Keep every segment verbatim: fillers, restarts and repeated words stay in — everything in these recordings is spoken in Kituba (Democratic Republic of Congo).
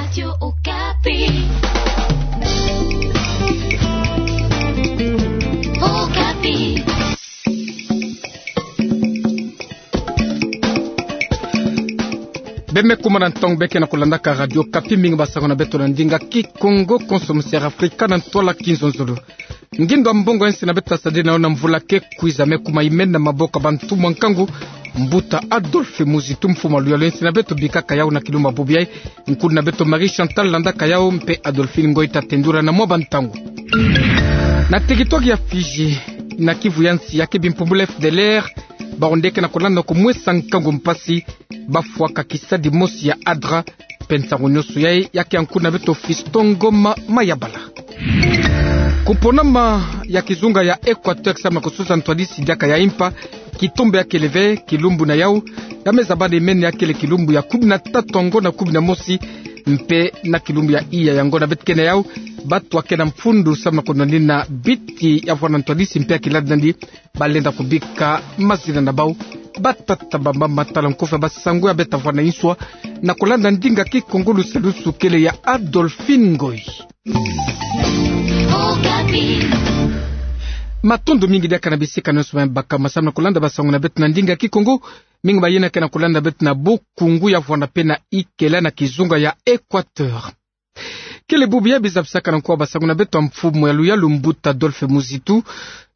Radio Okapi. Okapi. Bê me kuma na ntangu bê ke na kulandaka Radio Okapi, mingi basango na beto na ndinga Kikongo, konso mosi'Afrika na ntwala kinzonzolo. Ngindu ya mbongo ya nsi na beto tasadila na yo na mvula ke kwiza me kuma imen na maboko ya bantumwa nkangu, mbuta Adolphe Muzitu, mfumu ya luyalu ya nsi na beto, bikaka yau na kilumbu ya bubu yayi nkundi na beto Marie Chantal landaka yau, mpe Adolphine Ngoy tatendula na mwa bantangu. Na teritware ya Fidji, na Kivu ya nsi, ya ke bimpumbulu F D L R, bawu nde ke na kulanda na kumwesa nkangu mpasi, bafwaka kisadi mosi ya ADRA, mpe nsangu nyonso yayi ya ke ya nkundi na beto Fiston Ngoma Mayabala. Kuponama ya kizunga ya Equateur samu na kusosa ntwadisi diaka ya impa, kitombe ya kele ve, kilumbu na yau ya me zabana imen ya kele kilumbu ya kumi na tatu ya ngonda kumi na mosi, mpe na kilumbu ya iya ya ngonda beto ke na yau, bato ya ke na mfundu samu na kunwanina biti ya vwanda ntwadisi mpe ya kiladi nandi, balenda kubika mazina na bau. Batata, bamama, tala nkofi ya basango ya beto ta vwanda inswa, na kulanda ndinga Kikongo, lusalusu kele ya Adolphine Ngoy. Matondo mingi diaka na bisika nyonso me bakama samu na kulanda basango na beto na ndinga Kikongo. Mingi mayena ke na kulanda beto na Bukungu ya vwanda mpe na Ikela na kizunga ya Equateur. Kele bubu yayi biza bisaka na nko ya basango na beto ya mfumu ya luyalu mbuta Adolphe Muzitu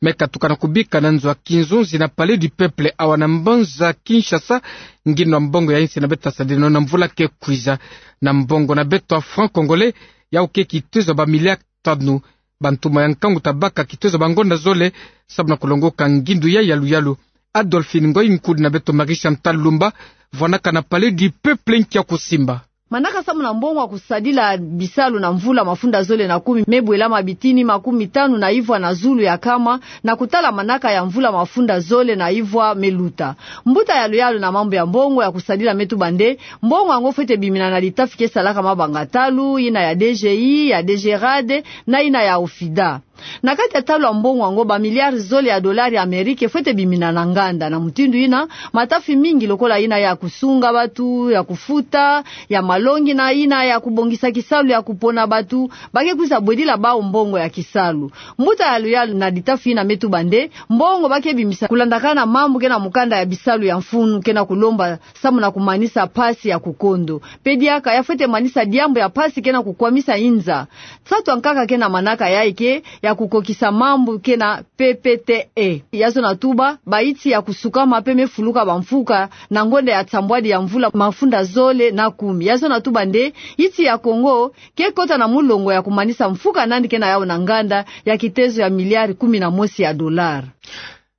me katuka na kubika na nzo ya kinzonzi na Palais du Peuple awa na mbanza Kinshasa, ngindu ya mbongo ya nsi na beto tasadila na yo na mvula ke kwiza. Na mbongo na beto ya franc congolais, yau ke kitezo ya bamiliare tanu. Bantumwa ya nkangu tabaka kitezo ya bangonda zole samu na kulongoka ngindu yayi ya luyalu. Adolphine Ngoy, nkundi na beto Marie Chantal Lumba, vwandaka na Palais du Peuple, nki ya kusimba. Manaka samu na mbongo ya kusadila bisalu na mvula mafunda zole na kumi me bwelama bitini makumi tanu na ivwa na zulu ya nkama, na kutala manaka ya mvula mafunda zole na ivwa me luta. Mbuta ya luyalu na mambu ya mbongo ya kusadila me tuba nde, mbongo yango fwete bimina na litafi ke salaka mabanga talu, yina ya D G I, ya D G RAD, na yina ya OFIDA. Na kati ya ntalu ya mbongo yango, bamiliare zole ya dolare ya Amerike fwete bimina na nganda. Na mutindu yina, matafi mingi lokola yina ya kusunga batu, ya kufuta, ya malongi na yina ya kubongisa kisalu ya kupona batu, ba ke kwiza bwedila bau mbongo ya kisalu. Mbuta ya luyalu na litafi yina me tuba nde, mbongo ba ke bimisa kulandakana mambu ke na mukanda ya bisalu ya mfunu ke na kulomba samu na kumanisa mpasi ya kukondo. Mpe diaka ya fwete manisa diambu ya mpasi ke na kukwamisa inza. Nsatu ya nkaka ke na manaka yayi ke ya kukokisa mambu ke na P P T E. Ya zona tuba, bayinsi ya kusukama mpe me fuluka bamfuka na ngonda ya nsambwadi ya mvula mafunda zole na kumi. Ya zona tuba nde, yinsi ya Kongo ke kota na mulongo ya kumanisa mfuka nandi ke na yau na nganda ya kitezo ya miliare kumi na mosi ya dolare.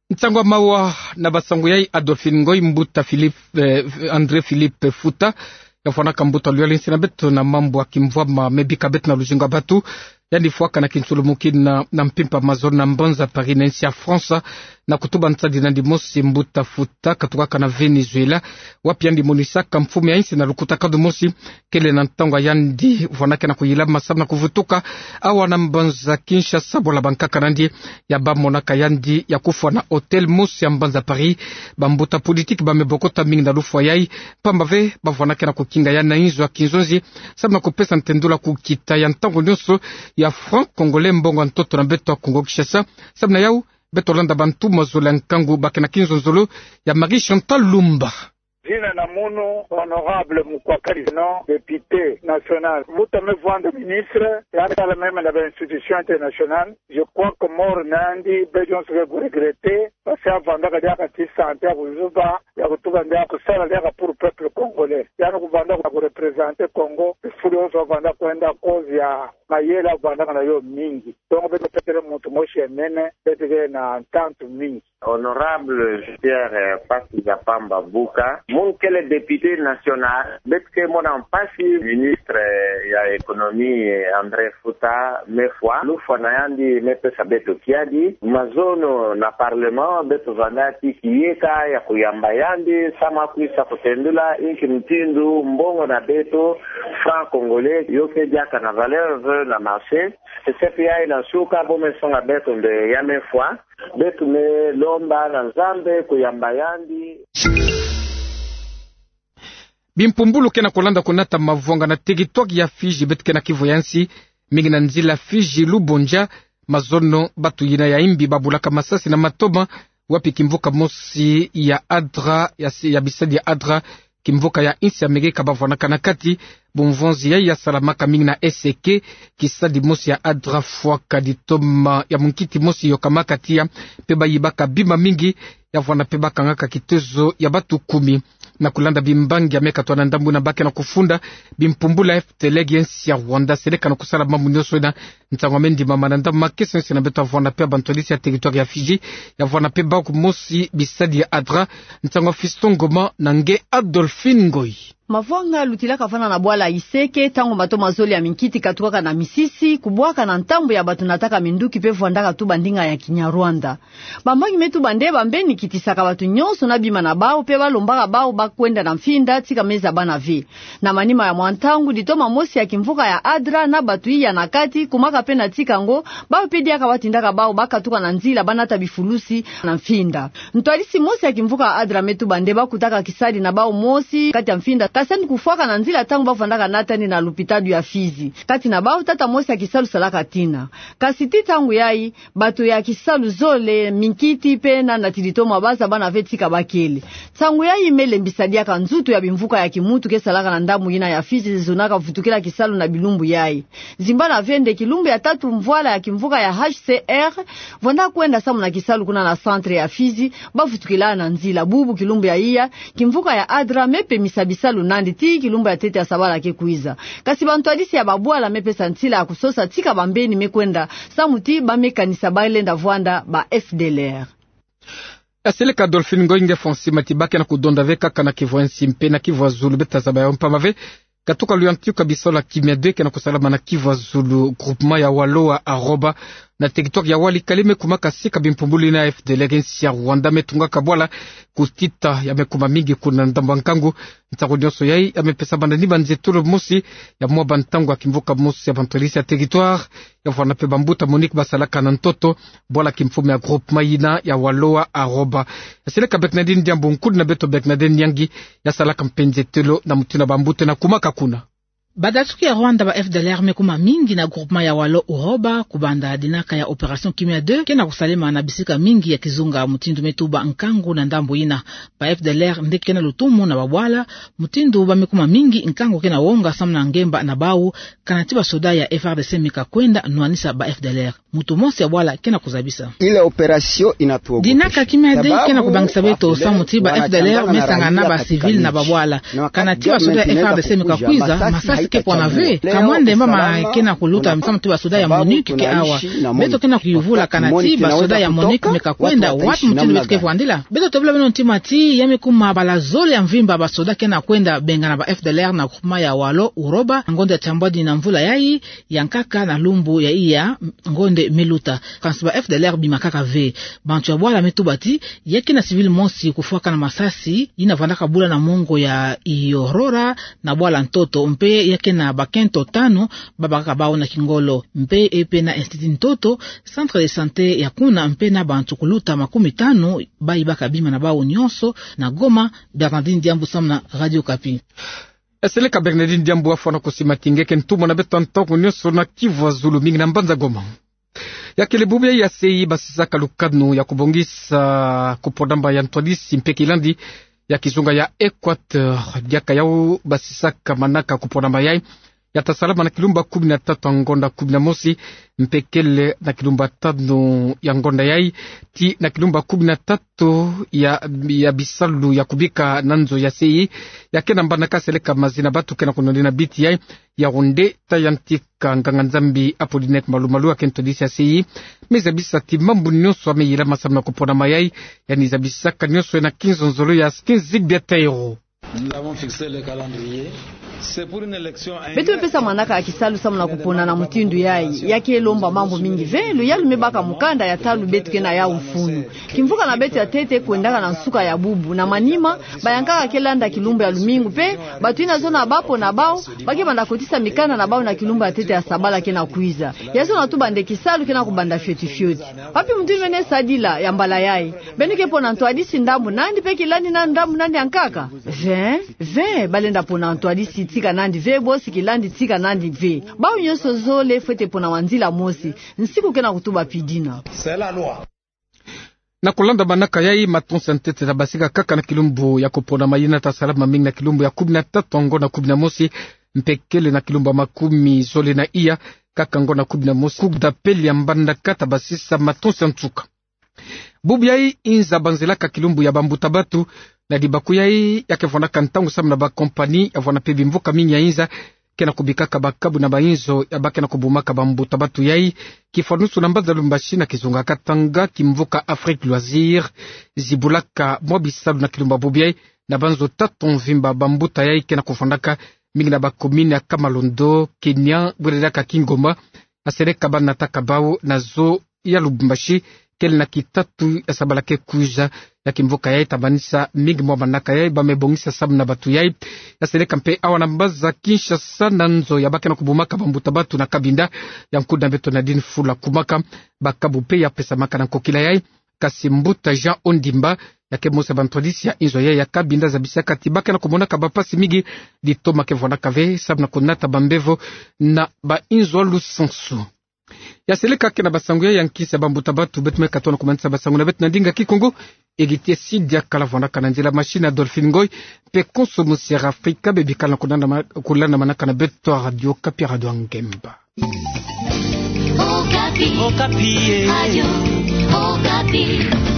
Nsangu ya mawa na basango yayi Adolphine Ngoy, mbuta Philippe, eh, André Philippe Futa, ya vwandaka mbuta luyalu ya nsi na beto na mambu ya kimvwama me bika beto na luzingu ya batu. Yandi fwaka na kinsulumuki na, na mpimpa mazono na mbanza Paris na nsi ya France, na kutuba nsadi nandi mosi. Mbuta Futa katukaka na Venezuela, wapi yandi monisaka mfumu ya nsi na lukutakanu mosi. Kele na ntangu ya yandi vwandaka na kuyilama samu na kuvutuka awa na mbanza Kinshasa, bwala bankaka nandi ya ba monaka yandi ya kufwa na hôtel mosi ya mbanza Paris. Bambuta politiki ba me bokota mingi na lufwa yayi, mpamba ve ba vwandaka na kukinga yandi na inzo ya kinzonzi samu na kupesa ntendula kukita ya ntangu nyonso ya franc congolais, mbongo ya ntoto na beto ya Kongo Kinshasa. Samu na yau, beto landa bantu mazola nkangu ba ke na kinzonzolo ya Marie Chantal Lumba. Zina na munu, Honorable Mukwakali, non, député national. Mbuta me vwanda ministre, ya kala même na ba institution internationale. Je crois que mort na yandi, beto nyonso ke kuregretter, parce que avwandaka diaka ti santé ya kuzuba, ya kutuba nde akusala diaka pour peuple congolais. Yandi kuvwanda kureprésenter Congo, fulu nyonso avwanda kwenda cause ya mayela avwandaka na yo mingi. Donc, beto perdre muntu mosi ya nene, beto ke na ntantu mingi. Honorable Jean-Pierre, eh, Mpasi Nzapamba Buka, munu kele député national, beto ke mona mpasi ministre, eh, ya économie, eh, André Futa me fwa. Lufwa na yandi me pesa beto kiadi. Mazono na parlement, beto vanda ti kiyeka ya kuyamba yandi samu akwisa kutendula inki mutindu mbongo na beto, franc congolais, yo ke diaka na valeur ve na marché. Sesepi yayi na nsuka, bo me songa beto nde ya me fwa. Beto me lomba na Nzambe kuyamba yandi. Bimpumbulu ke na kulanda kunata mavwanga na territoire ya Fidji, beto ke na kivu ya nsi, mingi na nzila Fidji Lubonja, mazono bato yina ya imbi babulaka masasi na matoma, wapi kimvuka mosi ya Adra, ya si-, ya bisadi ya Adra, kimvuka ya insi ya Amerika bavwanaka na kati. Bumvonzi yayi ya salamaka mingi na Eseke, kisadi mosi ya Adra fwaka ditoma ya munkiti mosi yokamaka tiya, mpe bayibaka bima mingi, ya vwanda mpe bakangaka kitezo ya bato kumi. Na kulanda bimbangi ya me katwa na ndambu yina ba ke na kufunda, bimpumbulu ya F D L R ya nsi ya Rwanda seleka na kusala mambu nyonso yina, nsangu ya me ndimama na ndambu makesa nyonso yina, beto ya vwanda mpe bantwadisi ya territoire ya Fidji, ya vwanda mpe bawu mosi bisadi ya Adra. Nsangu ya Fiston Ngoma na nge Adolphine Ngoy. Mavwanga lutilaka vanda na bwala Iseke, ntangu matoma zole ya minkiti katukaka na misisi, kubwaka na ntambu ya bato nataka minduki mpe vwandaka tuba ndinga ya Kinyarwanda. Bambangi me tuba nde bambeni kitisaka bato nyonso na bima na bawu, mpe balombaka bawu bakwenda na mfinda, tika me zabana ve. Na manima ya mwa ntangu, ditoma mosi ya kimvuka ya Adra na bato iya na kati, kumaka mpe na tika ngo, bawu mpe diaka batindaka bawu bakatuka na nzila banata bifulusi na mfinda. Ntwadisi mosi ya kimvuka ya Adra me tuba nde bakutaka kisadi na bawu mosi kati ya mfinda, kasani kufwaka na nzila ntangu bavwandaka natani na lopitalo ya Fidji. Kati na bawu, tata mosi ya kisalu salaka tina. Kasi tii ntangu yayi, bato ya kisalu zole, minkiti mpe na nati ditoma bazabana ve tika bakele. Nsangu yayi me lembisa diaka nzutu ya bimvuka ya kimuntu ke salaka na ndambu yina ya Fidji, zonaka vutukila kisalu na bilumbu yayi. Zimbana ve nde kilumbu ya tatu mvwala ya kimvuka ya H C R vwanda kwenda samu na kisalu kuna na centre ya Fidji, bavutukila na nzila. Bubu kilumbu ya iya, kimvuka ya Adra me pemisa bisalu nandi tii kilumbu ya ntete ya sabala ke kwiza. Kasi bantwadisi ya babwala me pesa nsila ya kusosa tika bambeni me kwenda, samu ti ba me kanisa balenda vwanda ba F D L R. Aseleka Adolphine Ngoy, nge fwa nsi mati ba ke na kudonda ve kaka na kivu ya nsi mpe na kivu ya zulu, beto tazaba yawu mpamba ve. Katuka luyantika bisalu ya Kimia deux ke na kusalama na kivu ya zulu, groupement ya Waloa Aroba, na territoire ya Walikale, me kumaka sika bimpumbulu yina ya F D L R ya nsi ya Rwanda me tungaka bwala, kutita ya me kuma mingi kuna ndambu ya nkangu. Nsangu nyonso yayi ya me pesa banda ni banzetolo mosi ya mwa bantangu ya kimvuka mosi ya bantwadisi ya territoire, ya vwanda mpe bambuta MONUC basalaka na ntoto bwala kimfumu ya groupement yina ya Waloa Aroba. Aseleka Bernardine Diambu, nkudi na beto Bernardine Nyangi, ya salaka mpe nzetolo na mutindu bambuta yina kumaka kuna. Badatuki ya Rwanda ba F D L R me kuma mingi na groupement ya Walo Uroba, kubanda dinaka ya opération Kimia deux ke na kusalema na bisika mingi ya kizunga, mutindu me tuba nkangu na ndambu yina. Ba F D L R nde ke na lutumu na babwala, mutindu ba me kuma mingi, nkangu ke na wonga samu na ngemba na bawu, kana ti basoda ya F A R D C me kakwenda nwanisa ba F D L R. Mutu mosi ya bwala ke na kuzabisa. Ile opération inatuogopesha. Dinaka Kimia deux ke na kubangisa beto samu ti ba F D L R me sangana na ba civil na babwala. Kana ti basoda ya F A R D C me kakwiza, masasi ke pwana ve. Ka mwende mama ke na kuluta samu ti basoda ya MONUC ke awa. Beto ke na kuyuvula kana ti basoda ya MONUC me kakwenda wapi, mutindu beto ke vwandila. Beto tobila beno ntima ti ya me kuma bala zole ya mvimba basoda ke na kwenda bengana ba F D L R na groupement ya Walo Uroba, ngonda ya tiambwadi na mvula yayi, ya nkaka na lumbu ya iya ngonda me luta. Kansi ba F D L R bimakaka ve. Bantu ya bwala me tuba ti ya ke na civil mosi kufwakana masasi, yina vandaka bula na mongo ya Iorora na bwala ntoto, mpe ya ke na bakento tanu babakaka bawu na kingolo, mpe e mpe na institut ntoto, centre de santé ya kuna, mpe na bantu kuluta makumi tanu bayibaka bima na bawu nyonso. Na Goma, Bernardine Diambu samu na Radio Okapi. Aseleka Bernardine Diambu, afwana kusimati nge ke ntumwa na beto ntangu nyonso na kivu ya zulu mingi na mbanza Goma. Ya kele bubu ya C I basisaka lukanu ya kubongisa kuponama ya ntwadisi mpe kilandi ya kizunga ya Equateur. Diaka yawu basisaka manaka kuponama yayi, ya ta salama na kilumbu kumi na tatu ya ngonda kumi na mosi, mpe kele na kilumbu tanu ya ngonda yayi, tii na kilumbu kumi na tatu ya, ya bisalu ya kubika na nzo ya C I. Ya ke na mbanaka, aseleka mazina batu ke na kunonina biti yayi, Yaoundé, ta yantika nganga-Nzambi Apollinaire Malu-Malu, ya ke ntwadisi ya C I. Me zabisa ti mambu nyonso ya me yilama samu na kuponama yayi, ya ni zabisaka nyonso na kinzonzolo ya Skin Zigbia Taïro. Nous avons fixé le calendrier. Beto me pesa manaka ya kisalu samu na kupona na mutindu yayi. Ya ke lomba mambu mingi ve, luyalu me baka mukanda ya talu beto ke na yau mfunu. Kimvuka na beto ya ntete kwendaka na nsuka ya bubu. Na manima, bayankaka ke landa kilumbu ya lumingu mpe, bato yina zona bapona bau, ba ke banda kotisa mikanda na bau na kilumbu ya ntete ya sabala ke na kwiza. Ya zona tuba nde kisalu ke na kubanda fioti fioti. Wapi mutindu beno sadila ya mbala yayi? Beno ke pona ntwadisi ndambu nandi mpe kilandi na ndambu nandi ya nkaka? Ve, ve, balenda pona ntwadisi tika nandi ve, bosi kilandi tika nandi ve. Bau nyonso zole fwete pona wa nzila mosi. Nsiku ke na kutuba pi dina. Na kulanda manaka yayi, matonsi ya ntete tabasika kaka na kilumbu ya kupona mayina ta salama mingi na kilumbu ya kumi na tatu, ngonda kumi na mosi, mpe kele na kilumbu ya makumi zole na iya, kaka ngonda kumi na mosi, Cour d'appel ya Mbandaka tabasisa matonsi ya nsuka. Bubu yayi inza banzelaka kilumbu ya bambuta batu, na dibaku yayi ya ke vwandaka ntangu samu na bakompani ya vwanda mpe bimvuka mingi ya inza ke na kubikaka bakabu na bainzo ya ba ke na kubumaka bambuta batu yayi. Kifwanusu na mbanza Lubumbashi na kizunga Katanga, kimvuka Afrique Loisir zibulaka mwa bisalu na kilumbu ya bubu yayi, na banzo tatu mvimba bambuta yayi ke na kuvwandaka, mingi na bakomini ya Kamalondo, Kenya, bwelelaka Kingoma. Aseleka banataka bau na zo ya Lubumbashi, kele na kitatu ya sabala ke kwiza ya kimvuka yayi, tamanisa mingi mwa manaka yayi ba me bongisa samu na batu yayi. Aseleka mpe awa na mbanza Kinshasa na nzo ya ba ke na kubumaka bambuta batu na Cabinda, ya nkuna beto Nadine Fula Kumaka, bakabu mpe ya pesamaka na nkokila yayi. Kasi mbuta Jean Ondimba, ya ke mosi ya bantwadisi ya inzo yayi ya Cabinda, zabisaka ti ba ke na kumonaka bampasi mingi, litoma ke vwandaka ve samu na kunata bambevo na bainzo ya lusansu. Ya seleka ke na basango yayi ya nkisi ya bambuta batu, beto me katono kumanisa basango na beto na ndinga Kikongo. Egiti esidi ya kala vwandaka na nzila machine ya Dolphine Ngoy, mpe konso musi ya Afrika, bebikala na kulanda ma-, kulanda manaka na beto Radio Okapi, Radio ya Ngemba. Okapi. Okapi, eh. Radio Okapi.